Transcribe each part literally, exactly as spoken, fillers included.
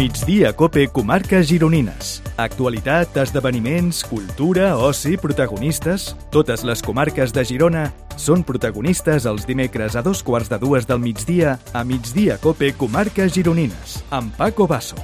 Migdia Cope Comarques Gironines. Actualitat, esdeveniments, cultura, oci, protagonistes... Totes les comarques de Girona són protagonistes els dimecres a dos quarts de dues del migdia a Migdia Cope Comarques Gironines, amb Paco Basso.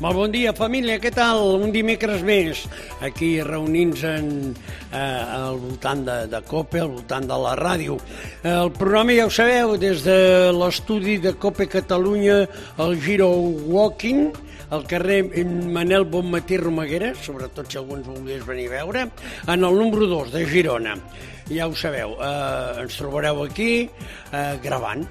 Molt bon dia, família, què tal? Un dimecres més, aquí reunint-nos eh, al voltant de, de COPE, al voltant de la ràdio. El programa, ja ho sabeu, des de l'estudi de COPE Catalunya, el Giro Walking, al carrer Manel Bonmatí Romaguera, sobretot si algú ens volgués venir a veure, en el número dos de Girona. Ja ho sabeu, eh, ens trobareu aquí eh, gravant.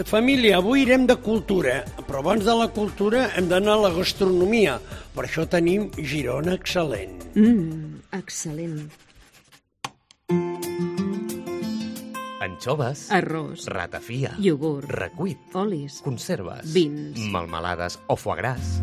Família, avui irem de cultura, però abans de la cultura hem d'anar a la gastronomia. Per això tenim Girona Excel·lent. Mmm, excel·lent. Anxoves, arròs, ratafia, iogurt, recuit, olis, conserves, vins, melmelades o foie gras.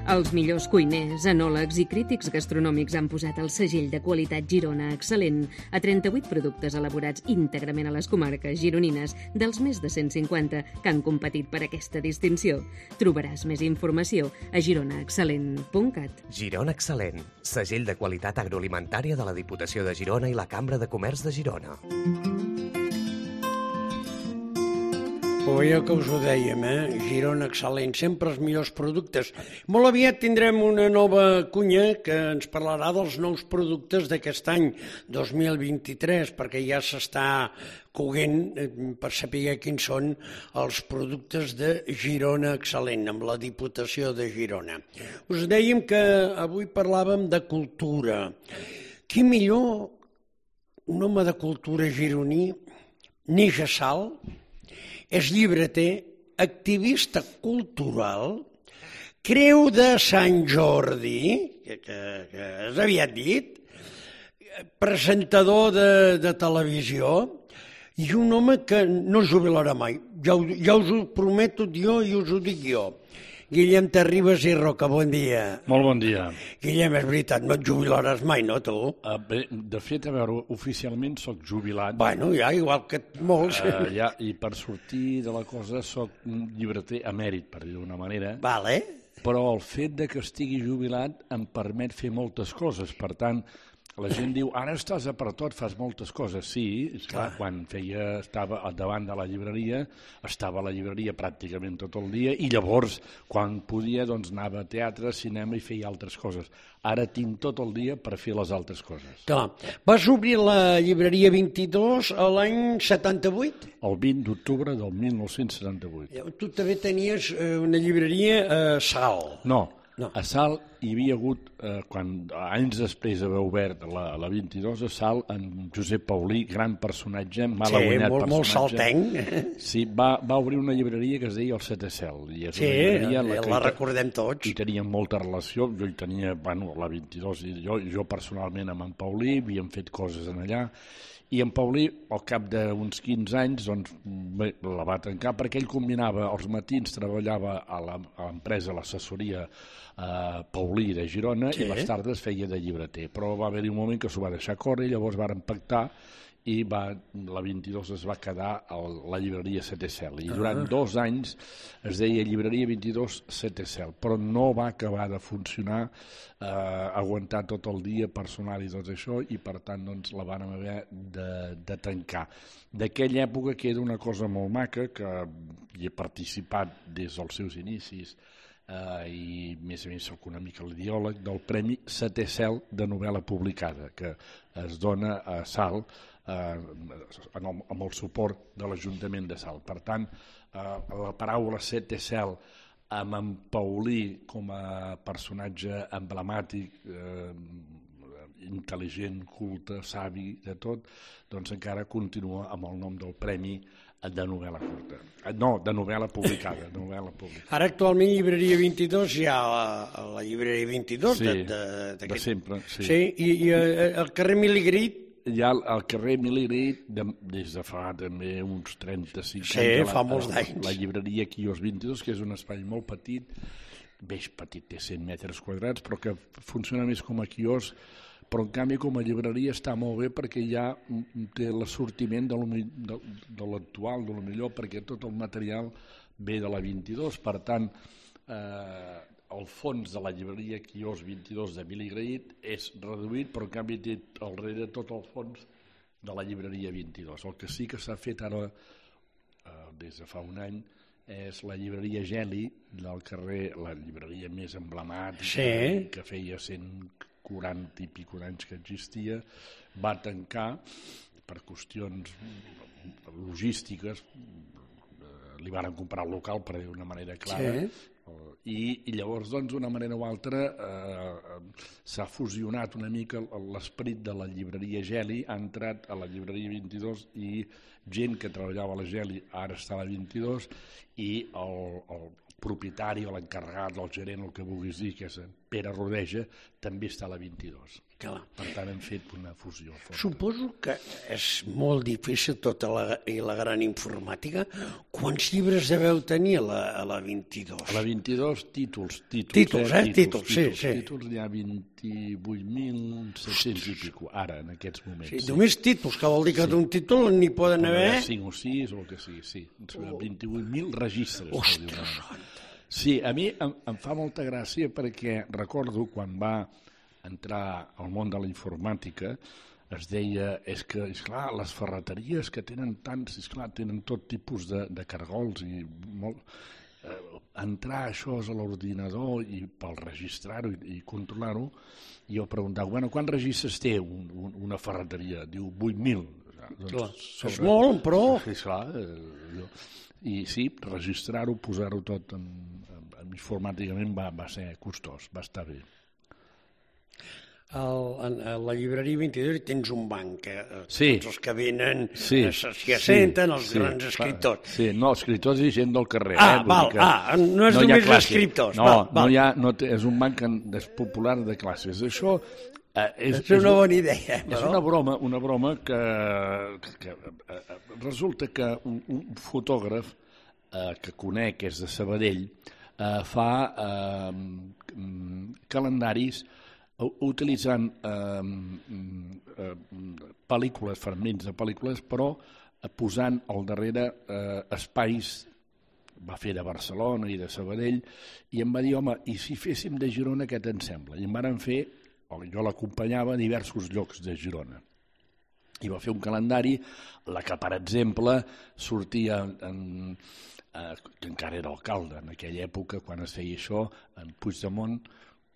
Els millors cuiners, enòlegs i crítics gastronòmics han posat el segell de qualitat Girona Excel·lent a trenta-vuit productes elaborats íntegrament a les comarques gironines dels més de cent cinquanta que han competit per aquesta distinció. Trobaràs més informació a girona excel·lent punt cat. Girona Excel·lent, segell de qualitat agroalimentària de la Diputació de Girona i la Cambra de Comerç de Girona. O ja que us ho dèiem, eh? Girona Excel·lent, sempre els millors productes. Molt aviat tindrem una nova cunya que ens parlarà dels nous productes d'aquest any dos mil vint-i-tres, perquè ja s'està coguent per saber quins són els productes de Girona Excel·lent, amb la Diputació de Girona. Us dèiem que avui parlàvem de cultura. Qui millor, un home de cultura gironí, neix a Salt, és llibreter, activista cultural, creu de Sant Jordi, que, que, que és aviat dit, presentador de, de televisió, i un home que no es jubilarà mai. Ja, ja us ho prometo jo i us ho dic jo. Guillem Terribas i Roca, bon dia. Molt bon dia. Guillem, és veritat, no et jubilaràs mai, no, tu? Uh, bé, de fet, a veure, oficialment soc jubilat. Bueno, ja, igual que molts. Uh, ja, I per sortir de la cosa soc un llibreter emèrit, per dir d'una manera. Vale. Però el fet de que estigui jubilat em permet fer moltes coses. Per tant, la gent diu, ara estàs a per tot, fas moltes coses. Sí, esclar, quan feia, estava davant de la llibreria, estava a la llibreria pràcticament tot el dia i llavors, quan podia, doncs anava a teatre, cinema i feia altres coses. Ara tinc tot el dia per fer les altres coses. Clar. Vas obrir la llibreria vint-i-dos a l'any setanta-vuit? El vint d'octubre del mil nou-cents setanta-vuit. Tu també tenies una llibreria a Salt. No. No. A Salt hi havia hagut, eh, quan anys després d'haver obert la, la vint-i-dos, a Salt, en Josep Paulí, gran personatge, mal sí, aguanyat molt, personatge. molt saltenc. Sí, va, va obrir una llibreria que es deia el Sete Cel. I és sí, una la, la recordem tots. I teníem molta relació, jo hi tenia, bueno, la vint-i-dos, i jo, jo personalment amb en Paulí, havíem fet coses en allà, i en Paulí, al cap d'uns quinze anys, doncs, bé, la va tancar perquè ell combinava, els matins treballava a l'empresa, a l'assessoria eh, Paulí de Girona, sí. I les tardes feia de llibreter, però va haver-hi un moment que s'ho va deixar córrer, llavors varen pactar i va, la vint-i-dos es va quedar a la llibreria Sete Cel, i durant ah. dos anys es deia llibreria vint-i-dos Sete Cel, però no va acabar de funcionar, eh, aguantar tot el dia personal i tot això, i per tant doncs, la van haver de, de tancar. D'aquella època queda una cosa molt maca, que hi he participat des dels seus inicis, Uh, i més a més soc una mica l'ideòleg del Premi Setè Cel de novel·la publicada, que es dona a Salt uh, amb, el, amb el suport de l'Ajuntament de Salt. Per tant, uh, la paraula Setè Cel amb en Paulí com a personatge emblemàtic, eh, intel·ligent, culte, savi, de tot, doncs encara continua amb el nom del premi de novel·la curta. No, de novel·la publicada. De novel·la publicada. Ara actualment llibreria vint-i-dos hi ha la, la llibreria vint-i-dos. Sí, de, de, de sempre. Sí, sí i, i el carrer Miligrit. Hi ha el carrer Miligrit de, des de fa també uns trenta-cinc sí, anys. Sí, fa molts la, anys. La llibreria Quios vint-i-dos, que és un espai molt petit, bé petit, té cent metres quadrats, però que funciona més com a quios, però en canvi com a llibreria està molt bé perquè ja té l'assortiment de, de, de l'actual, de lo millor, perquè tot el material ve de la vint-i-dos, per tant, eh, el fons de la llibreria Quios vint-i-dos d'Emili Grahit és reduït, però en canvi té al darrere tot el fons de la llibreria vint-i-dos. El que sí que s'ha fet ara, eh, des de fa un any, és la llibreria Geli del carrer, la llibreria més emblemàtica, sí. que feia cent quaranta i pico anys que existia, va tancar per qüestions logístiques, li van comprar el local per dir d'una manera clara, sí. I, i llavors doncs d'una manera o altra eh, s'ha fusionat una mica l'esperit de la llibreria Geli, ha entrat a la llibreria vint-i-dos i gent que treballava a la Geli ara està a la vint-i-dos i el, el propietari o l'encarregat, el gerent, el que vulguis dir, que és Pere Rodeja, també està a la vint-i-dos. Clar. Per tant, hem fet una fusió forta. Suposo que és molt difícil tota la, i la gran informàtica. Quants llibres deveu tenir a la, a la vint-i-dos? A la vint-i-dos, títols. Títols, títols eh? Títols, títols, sí, títols, sí. Títols hi ha vint-i-vuit mil set-cents i pico, ara, en aquests moments. Sí, sí. Només títols, que vol dir que sí. D'un títol n'hi poden haver... cinc o sis o el que sigui, sí. Oh. vint-i-vuit mil registres. Ostres, sí, a mi em, em fa molta gràcia perquè recordo quan va entrar al món de la informàtica, es deia, és que, esclar, les ferreteries que tenen tants, esclar, tenen tot tipus de, de cargols i molt... Eh, entrar això a l'ordinador i pel registrar-ho i, i controlar-ho, i jo preguntava, bueno, quants registres té un, un, una ferreteria? Diu, vuit mil. Doncs, sobre... És molt, però... Sí, esclar, eh, jo... I sí, registrar-ho, posar-ho tot en, en, en informàticament va, va ser costós, va estar bé. El, en, a la llibreria vint-i-dos tens un banc, que sí. tots els que venen sí. s'hi assenten, sí. els sí. grans escriptors. Sí, no, escriptors i gent del carrer. Ah, eh? val, ah no és no només escriptors. No, val, val. no hi ha, no té, és un banc és popular de classes. Això eh, és, és una bona idea. Però... És una broma, una broma que, que eh, resulta que un, un fotògraf eh, que conec, és de Sabadell, eh, fa eh, calendaris utilitzant eh, eh, pel·lícules, fragments de pel·lícules, però posant al darrere eh, espais, va fer de Barcelona i de Sabadell, i em va dir, home, i si féssim de Girona, què te'n sembla? I em van fer, o jo l'acompanyava a diversos llocs de Girona. I va fer un calendari, la que, per exemple, sortia en, eh, que encara era alcalde en aquella època, quan es feia això, en Puigdemont,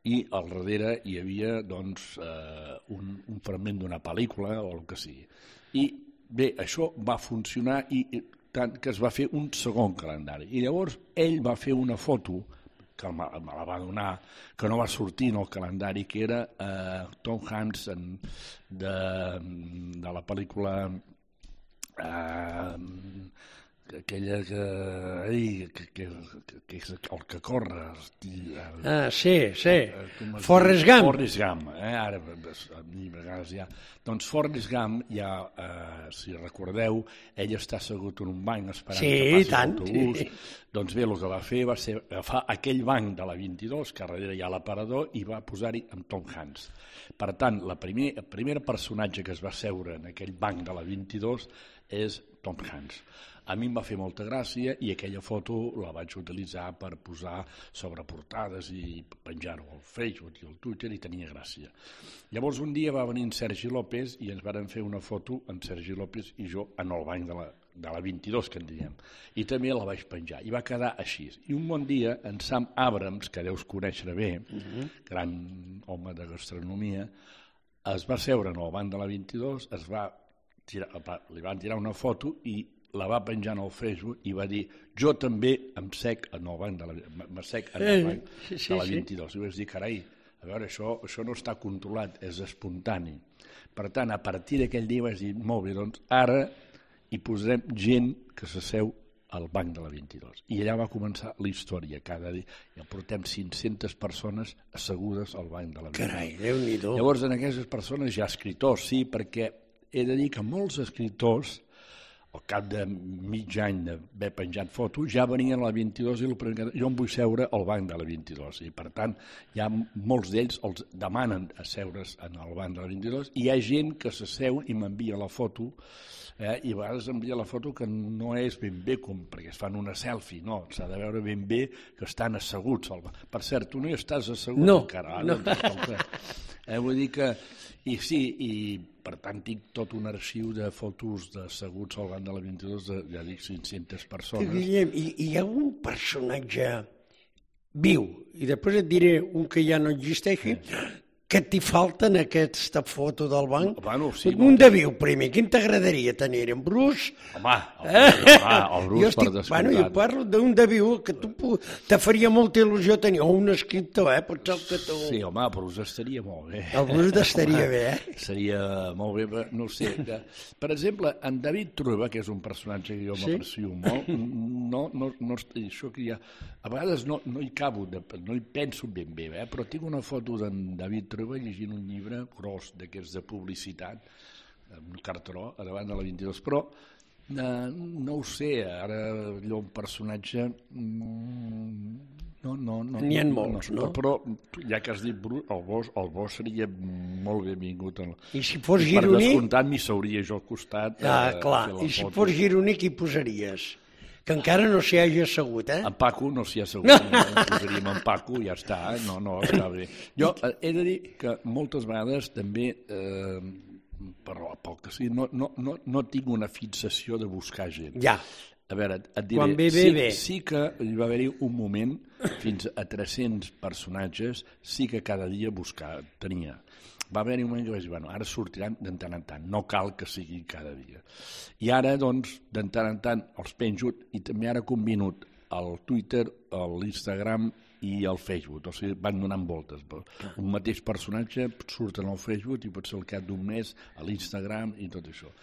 i al darrere hi havia doncs, eh, un, un fragment d'una pel·lícula o el que sigui. I bé, això va funcionar i, i tant que es va fer un segon calendari. I llavors ell va fer una foto, que me, me la va donar, que no va sortir en el calendari, que era eh, Tom Hanks en, de, de la pel·lícula... Eh, aquella que, ai, que, que, que és el que corre. El, ah, sí, sí. Forrest Gump. Forrest Gump, eh? Ara a mi a vegades ja... Doncs Forrest Gump, ja, eh, si recordeu, ell està assegut en un banc esperant sí, que passi tant. l'autobús. Sí. Doncs bé, el que va fer va ser agafar aquell banc de la vint-i-dos, que darrere hi ha l'aparador, i va posar-hi amb Tom Hanks. Per tant, la primer, el primer personatge que es va seure en aquell banc de la vint-i-dos és Tom Hanks. A mi em va fer molta gràcia i aquella foto la vaig utilitzar per posar sobre portades i penjar-ho al Facebook i al Twitter i tenia gràcia. Llavors un dia va venir en Sergi López i ens varen fer una foto amb Sergi López i jo en el banc de la, de la vint-i-dos, que en diem. I també la vaig penjar i va quedar així. I un bon dia en Sam Abrams, que deus conèixer bé, uh-huh. gran home de gastronomia, es va seure en el banc de la vint-i-dos, es va tirar, li van tirar una foto i la va penjar al Facebook i va dir jo també em sec en el banc de la, m'assec en el banc sí, sí, de la vint-i-dos. I vaig dir, carai, a veure, això, això no està controlat, és espontani. Per tant, a partir d'aquell dia vaig dir, molt bé, doncs ara hi posarem gent que s'asseu al banc de la vint-i-dos. I allà va començar la història. Cada dia ja portem cinc-centes persones assegudes al banc de la vint-i-dos. Carai, Déu-n'hi-do. Llavors, en aquestes persones hi ha escriptors, sí, perquè he de dir que molts escriptors al cap de mig any d'haver penjat fotos, ja venien a la vint-i-dos i el primer que... jo em vull seure al banc de la vint-i-dos. I, per tant, hi ha molts d'ells els demanen asseure's en el banc de la vint-i-dos i hi ha gent que s'asseu i m'envia la foto Eh? I a vegades envia la foto que no és ben bé com perquè es fan una selfie, no, s'ha de veure ben bé que estan asseguts. Per cert, tu no hi estàs assegut no, encara. No, no. Eh, vull dir que, i sí, i per tant tinc tot un arxiu de fotos d'asseguts al banc de la vint-i-dos de, ja dic, cinc-centes persones. Guillem, hi, hi ha un personatge viu, i després et diré un que ja no existeixi, que t'hi falta en aquesta foto del banc? Bueno, sí, un de viu, primer. Quin t'agradaria tenir? En Bruce? Home, el, eh? home, el Bruce, estic, per descomptat. Bueno, jo parlo d'un de viu que tu te faria molta il·lusió tenir, o un escriptor, eh? Potser que tu... Sí, home, el Bruce estaria molt bé. El Bruce estaria bé, eh? Seria molt bé, no sé. Que, per exemple, en David Trueba, que és un personatge que jo sí? m'aprecio molt, no, no, no, això que ja... A vegades no, no hi cabo, no hi penso ben bé, eh? Però tinc una foto d'en David Trueba llegint un llibre gros d'aquests de publicitat, amb un cartró, a davant de la vint-i-dos, però eh, no ho sé, ara allò un personatge... No, no, no. N'hi ha molts, no? no? Però, ja que has dit Bruce, el bo, el bo seria molt benvingut. En... I si fos I gironí... Per descomptat m'hi seuria jo al costat. Ah, eh, clar, i si fos gironí qui posaries? Que encara no s'hi hagi assegut, eh? En Paco no s'hi ha assegut, no, no posaríem en Paco, ja està, eh? no, no, està bé. Jo eh, he de dir que moltes vegades també, eh, però pel que sigui, no, no, no, no tinc una fixació de buscar gent. Ja. A veure, et diré, Quan ve, ve, sí, ve. sí que hi va haver-hi un moment, fins a tres-cents personatges, sí que cada dia buscar, tenia. Va haver-hi un moment que vaig dir, bueno, ara sortiran de tant en tant, no cal que sigui cada dia. I ara, doncs, de tant en tant els penjo, i també ara combino el Twitter, l'Instagram i el Facebook, o sigui, van donant voltes. Un mateix personatge surt en el Facebook i pot ser al cap d'un mes a l'Instagram i tot això.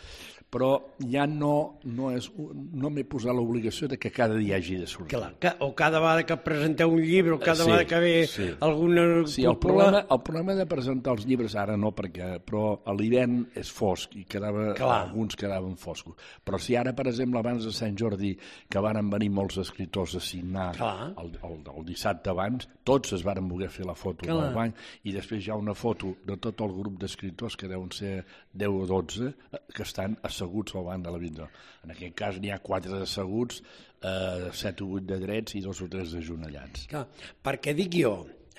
Però ja no, no, és, no m'he posat l'obligació de que cada dia hagi de sortir. Clar, o cada vegada que presenteu un llibre, o cada sí, vegada que ve sí. alguna... Sí, el problema, el problema de presentar els llibres, ara no, perquè, però a l'hivern és fosc i quedava, alguns quedaven foscos. Però si ara, per exemple, abans de Sant Jordi, que varen venir molts escriptors a signar el, el, el dissabte abans, tots es varen voler fer la foto Clar. del banc, i després hi ha una foto de tot el grup d'escriptors, que deuen ser deu o dotze, que estan asseguts al banc de la vint. En aquest cas n'hi ha quatre asseguts, eh, set o vuit de drets i dos o tres ajonellats. Clar, perquè dic jo,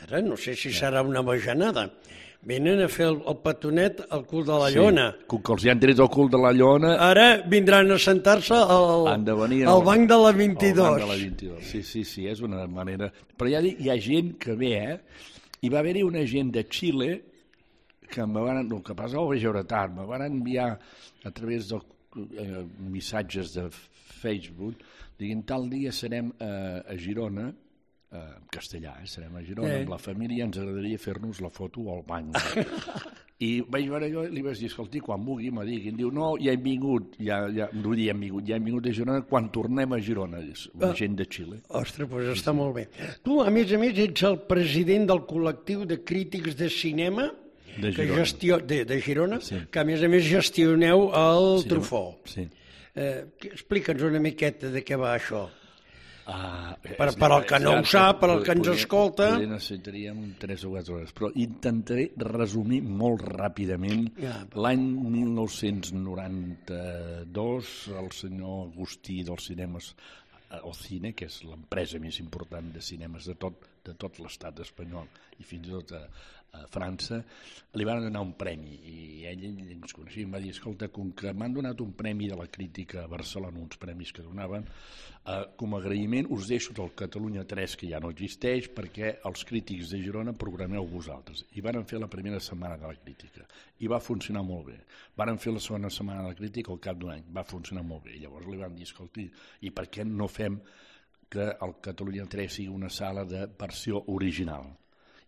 ara no sé si serà una bajanada, venen a fer el, el petonet al cul de la llona. Sí, com que els hi han tret el cul de la llona... Ara vindran a sentar-se al, al banc de la vint-i-dos. Al banc de la vint-i-dos, sí, sí, sí, és una manera... Però ja dic, hi ha gent que ve, eh? Hi va haver-hi una gent de Xile que me van... El que passa ho vaig veure tard, me van enviar a través de eh, missatges de Facebook, diguin, tal dia serem eh, a Girona, en castellà, eh? serem a Girona, eh. amb la família, ens agradaria fer-nos la foto al banc. I vaig veure jo i li vaig dir, escolti, quan vulgui me diguin. Diu, no, ja hem vingut, ja, ja, no vull dir, ja hem vingut, ja hem vingut a Girona quan tornem a Girona, una gent de Xile. Ostres, doncs està molt bé. Tu, a més a més, ets el president del col·lectiu de crítics de cinema de que Girona, gestio... de, de Girona sí. que a més a més gestioneu el sí, Trufó. Sí. Eh, explica'ns una miqueta de què va això. Ah, per, per al que no ho sap, per al que ens escolta... Potser necessitaríem tres o quatre hores, però intentaré resumir molt ràpidament. Ja. L'any mil nou-cents noranta-dos, el senyor Agustí dels cinemes el Cine, que és l'empresa més important de cinemes de tot, de tot l'estat espanyol i fins i tot a, a França, li van donar un premi i ell ens coneixia i em va dir, escolta, com que m'han donat un premi de la crítica a Barcelona, uns premis que donaven, eh, com a agraïment us deixo del Catalunya tres, que ja no existeix, perquè els crítics de Girona programeu vosaltres. I van fer la primera setmana de la crítica i va funcionar molt bé. Van fer la segona setmana de la crítica al cap d'un any, va funcionar molt bé. I llavors li van dir, escolti, i per què no fem que el Catalunya tres sigui una sala de versió original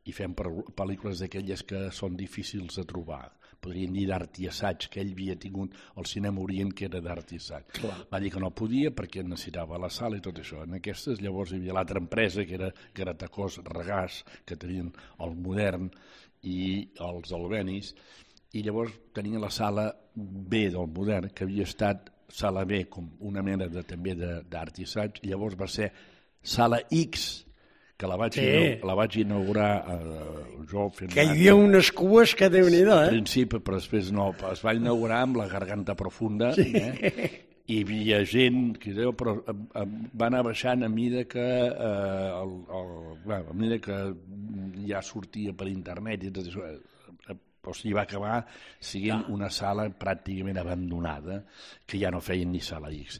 i fem pel·lícules d'aquelles que són difícils de trobar. Podríem dir d'art i assaig, que ell havia tingut el cinema Orient, que era d'art i assaig. Clar. Va dir que no podia perquè necessitava la sala i tot això. En aquestes llavors hi havia l'altra empresa, que era Gratacós, Regàs, que tenien el Modern i els Albenis, i llavors tenien la sala B del Modern, que havia estat sala B com una mena de, també d'art i assaig, i llavors va ser sala X, que la vaig, Sí. inau- la vaig inaugurar eh, jo fent... Que hi havia unes cues que Déu-n'hi-do, Al eh? principi, però després no. Es va inaugurar amb la garganta profunda, eh? I hi havia gent, que deu, però eh, eh, va anar baixant a mida que, eh, el, el, bueno, a mida que ja sortia per internet, i tot això, eh, o sigui, va acabar sent una sala pràcticament abandonada, que ja no feien ni sala X.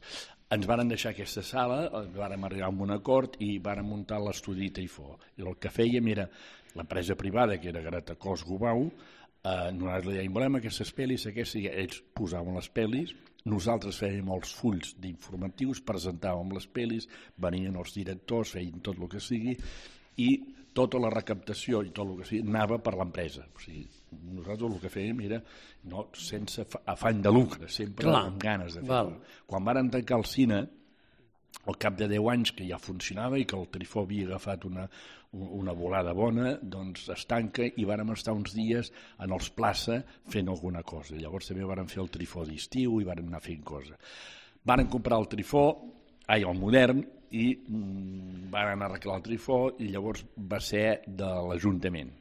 Ens varen deixar aquesta sala, vàrem arribar a un acord i vàrem muntar l'estudi Taifó. I el que fèiem era l'empresa privada, que era Gratacós Gubau, eh, nosaltres li dèiem, volem aquestes pel·lis, aquestes, i ells posaven les pel·lis, nosaltres fèiem els fulls d'informatius, presentàvem les pel·lis, venien els directors, feien tot el que sigui, i tota la recaptació i tot el que sigui anava per l'empresa. O sigui, nosaltres el que fèiem era no, sense afany de lucre, sempre Clar. amb ganes de Val. fer-ho. Quan varen tancar el cine, al cap de deu anys que ja funcionava i que el Trifó havia agafat una, una volada bona, doncs es tanca i vàrem estar uns dies en els plaça fent alguna cosa. Llavors també vàrem fer el Trifó d'estiu i vàrem anar fent cosa. Vàrem comprar el Trifó, ai, el modern, i mm, van anar a arreglar el Trifó i llavors va ser de l'Ajuntament.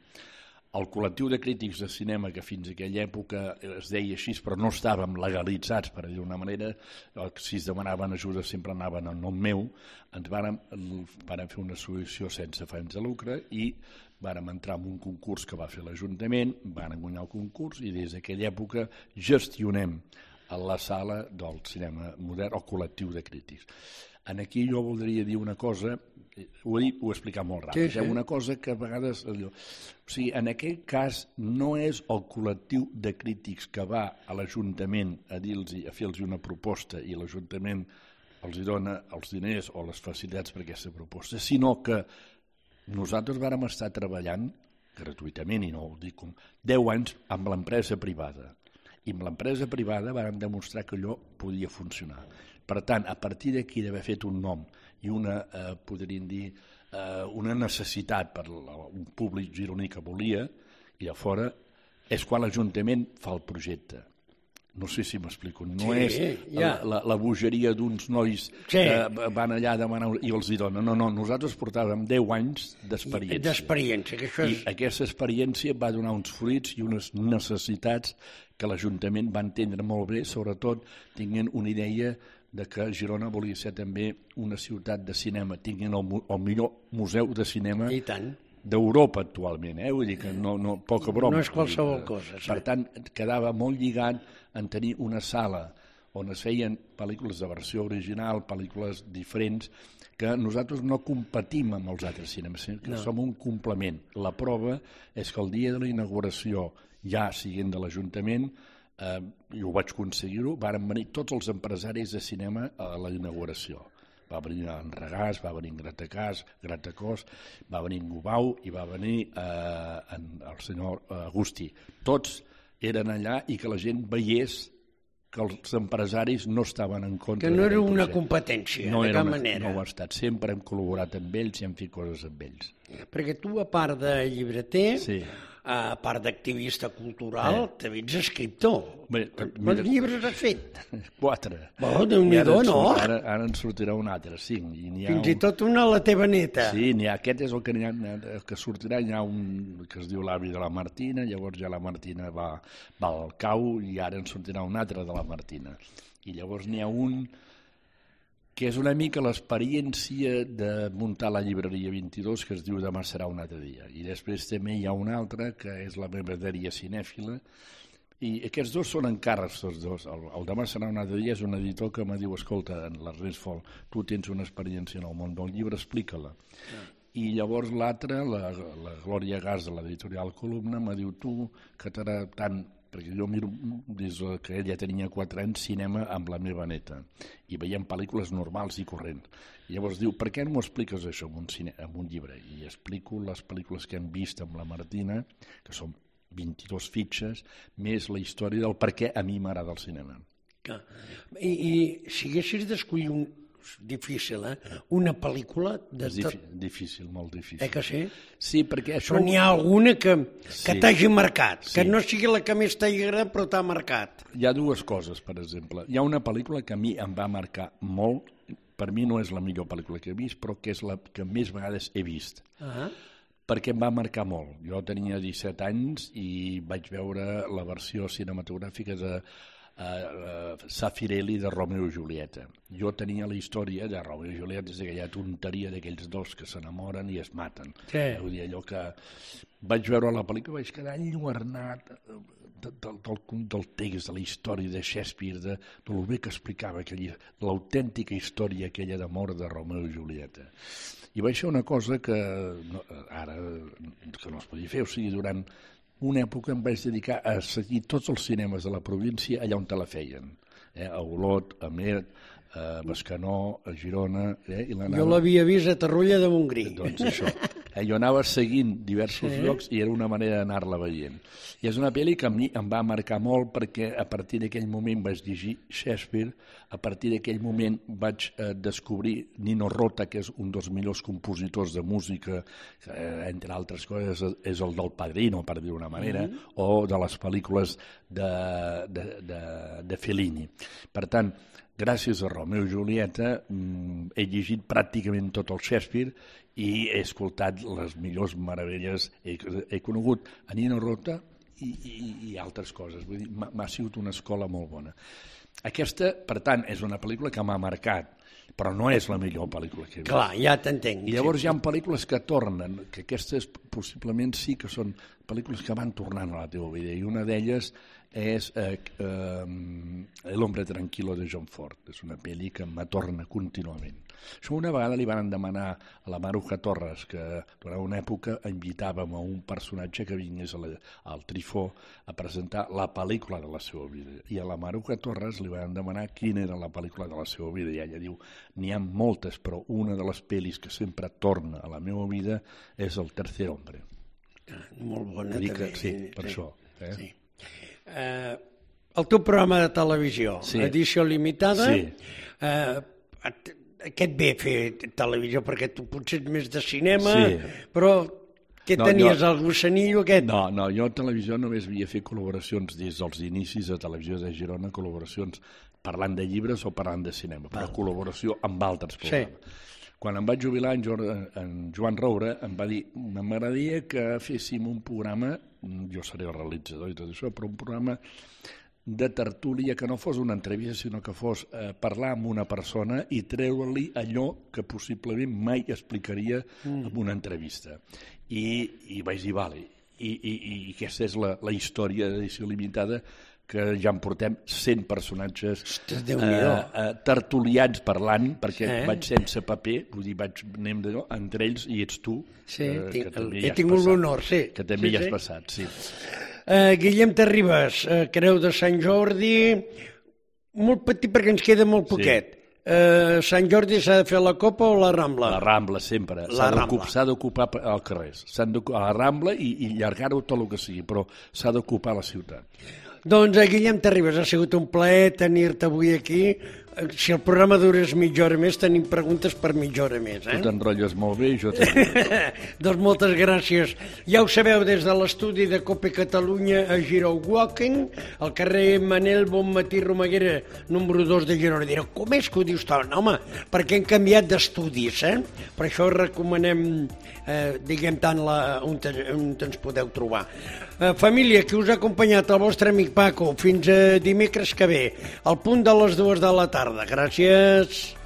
El col·lectiu de crítics de cinema, que fins a aquella època es deia així, però no estàvem legalitzats, per dir d'una manera, si es demanaven ajuda sempre anaven en nom meu, ens vàrem, vàrem fer una associació sense afany de lucre i vàrem entrar en un concurs que va fer l'Ajuntament, vàrem guanyar el concurs i des d'aquella època gestionem a la sala del cinema modern, el col·lectiu de crítics. En aquí jo voldria dir una cosa, ho he, dit, ho he explicat molt ràpid, sí, sí. una cosa que a vegades... Allò, o sigui, en aquest cas no és el col·lectiu de crítics que va a l'Ajuntament a dir-los, a fer-los una proposta i l'Ajuntament els dona els diners o les facilitats per aquesta proposta, sinó que nosaltres vàrem estar treballant gratuïtament, i no ho dic com, deu anys amb l'empresa privada. I amb l'empresa privada vàrem demostrar que allò podia funcionar. Per tant, a partir d'aquí d'haver fet un nom i una, eh, podríem dir, eh, una necessitat per un públic gironí que volia, i de fora, és quan l'Ajuntament fa el projecte. No sé si m'explico. No Sí, és ja. la, la, la bogeria d'uns nois Sí. que van allà a demanar i els hi donen. No, no, nosaltres portàvem deu anys d'experiència. D'experiència, que això I és... aquesta experiència va donar uns fruits i unes necessitats que l'Ajuntament va entendre molt bé, sobretot tinguent una idea de que Girona volia ser també una ciutat de cinema, tinguent el, el millor museu de cinema I tant. d'Europa actualment, eh? Vull dir que no, no, poca broma. No és qualsevol cosa, sí. Per tant, quedava molt lligat en tenir una sala on es feien pel·lícules de versió original, pel·lícules diferents, que nosaltres no competim amb els altres cinemes, sinó que no. som un complement. La prova és que el dia de la inauguració, ja siguent de l'Ajuntament, eh, i ho vaig aconseguir-ho, varen venir tots els empresaris de cinema a la inauguració. Va venir en Regàs, va venir en Gratacàs, Gratacós, va venir en Gubau i va venir eh, en el senyor Agustí. Tots eren allà i que la gent veiés que els empresaris no estaven en contra. Que no era una projecte. competència, no de era cap una, manera. No ho ha estat. Sempre hem col·laborat amb ells i hem fet coses amb ells. Perquè tu, a part de llibreter, Sí. a part d'activista cultural, Eh. també ets escriptor. Bé, Quants mira- llibres has fet? Quatre. Oh, Déu-n'hi-do, I ara en no? surt- Ara, ara en sortirà un altre, cinc. I n'hi ha Fins un... i tot una a la teva neta. Sí, n'hi ha, aquest és el que, ha, el que sortirà, hi ha un que es diu l'avi de la Martina, llavors ja la Martina va, va al cau i ara en sortirà un altre de la Martina. I llavors n'hi ha un que és una mica l'experiència de muntar la llibreria vint-i-dos, que es diu Demà serà un altre dia. I després també hi ha un altre, que és la meva dèria cinèfila, i aquests dos són encàrrecs, tots dos. El, el Demà serà un altre dia és un editor que me diu, escolta, en l'Ernest Fol, tu tens una experiència en el món del llibre, explica-la. Ja. I llavors l'altre, la, la Glòria Gas de l'editorial Columna, me diu, tu, que t'agrada tant, perquè jo miro des que ella tenia quatre anys cinema amb la meva neta i veiem pel·lícules normals i corrents. I llavors diu, per què no m'ho expliques això en un, cine, en un llibre? I explico les pel·lícules que hem vist amb la Martina, que són vint-i-dos fitxes, més la història del per què a mi m'agrada el cinema. I, i si haguessis d'escollir un... difícil, eh? Una pel·lícula... De És tot... difícil, difícil, molt difícil. Eh que sí? Sí, perquè això... Però n'hi ha alguna que, que Sí. t'hagi marcat, que Sí. no sigui la que més t'hagi agradat, però t'ha marcat. Hi ha dues coses, per exemple. Hi ha una pel·lícula que a mi em va marcar molt, per mi no és la millor pel·lícula que he vist, però que és la que més vegades he vist. Ah. Perquè em va marcar molt. Jo tenia disset anys i vaig veure la versió cinematogràfica de uh, uh, Zeffirelli de Romeo i Julieta. Jo tenia la història de Romeo i Julieta, és aquella tonteria d'aquells dos que s'enamoren i es maten. Sí. Vull dir, allò que vaig veure la pel·lícula, vaig quedar enlluernat del, del, del text, de la història de Shakespeare, de, de lo bé que explicava aquella, l'autèntica història aquella d'amor de Romeo i Julieta. I vaig fer una cosa que no, ara que no es podia fer, o sigui, durant una època em vaig dedicar a seguir tots els cinemes de la província allà on te la feien, eh? A Olot, a Amer, a Bescanó, a Girona... Eh? I jo l'havia vist a Torroella de Montgrí. Doncs això. Eh? Jo anava seguint diversos sí. llocs i era una manera d'anar-la veient. I és una pel·li que a mi em va marcar molt perquè a partir d'aquell moment vaig llegir Shakespeare, a partir d'aquell moment vaig eh, descobrir Nino Rota, que és un dels millors compositors de música, eh, entre altres coses és el del Padrino, per dir d'una manera, mm-hmm. o de les pel·lícules de, de, de, de Fellini. Per tant, gràcies a Romeo i Julieta he llegit pràcticament tot el Shakespeare i he escoltat les millors meravelles, he, he conegut a Nino Rota i, i, i altres coses. Vull dir, m'ha sigut una escola molt bona. Aquesta, per tant, és una pel·lícula que m'ha marcat, però no és la millor pel·lícula que he vist. Clar, ja t'entenc. I llavors sí. Hi ha pel·lícules que tornen, que aquestes possiblement sí que són pel·lícules que van tornant a la teva vida, i una d'elles és eh, eh, El hombre tranquilo de John Ford. És una pel·li que m'atorna contínuament. Això una vegada li van demanar a la Maruja Torres, que durant una època invitàvem a un personatge que vingués a la, al Trifó a presentar la pel·lícula de la seva vida. I a la Maruja Torres li van demanar quina era la pel·lícula de la seva vida. I ella diu, n'hi ha moltes, però una de les pel·lis que sempre torna a la meva vida és El tercer hombre. Ah, molt bona, que també. Sí, per sí. Això. Eh? Sí. Uh, el teu programa de televisió, sí. Edició limitada, sí. uh, aquest ve fer televisió perquè tu potser ets més de cinema, sí. però què no, tenies, jo, el gossanillo aquest? No, no, jo a televisió només havia fet col·laboracions des dels inicis de Televisió de Girona, col·laboracions parlant de llibres o parlant de cinema, però ah. col·laboració amb altres programes. Sí. Quan em vaig jubilar, en, Joan, en Joan Roure em va dir, m'agradaria que féssim un programa, jo seré el realitzador i tot això, però un programa de tertúlia que no fos una entrevista, sinó que fos eh, parlar amb una persona i treure-li allò que possiblement mai explicaria mm. en una entrevista. I, i vaig dir, vale, i, i, i aquesta és la, la història d'Edició Limitada, que ja en portem cent personatges Ostres, eh, eh, tertulians parlant, perquè sí. Vaig sense paper, vull dir, vaig, anem de, entre ells i ets tu, sí, eh, tinc, que també he ja tingut l'honor, sí. Que també sí, ja has sí. passat, sí. Uh, Guillem Terribas, uh, Creu de Sant Jordi, molt petit perquè ens queda molt poquet. Sí. Uh, Sant Jordi s'ha de fer la Copa o la Rambla? La Rambla, sempre. S'ha d'ocupar el carrer. S'han d'ocupar la Rambla i, i llargar-ho tot el que sigui, però s'ha d'ocupar la ciutat. Doncs, eh, Guillem Terribas, ha sigut un plaer tenir-te avui aquí. Si el programa durés mitja hora més, tenim preguntes per mitja hora més. Eh? Tu t'enrotlles molt bé i jo també. Doncs moltes gràcies. Ja ho sabeu, des de l'estudi de Cope Catalunya a Giró Walking, al carrer Manel Bonmatí Romaguera, número dos de Girona. Direu, com és que ho dius tant? Home, perquè hem canviat d'estudis, eh? Per això recomanem, eh, diguem tant, la, on, te, on ens podeu trobar. Eh, família, que us ha acompanyat el vostre amic Paco, fins a dimecres que ve, al punt de les dues de la tarda. Gràcies.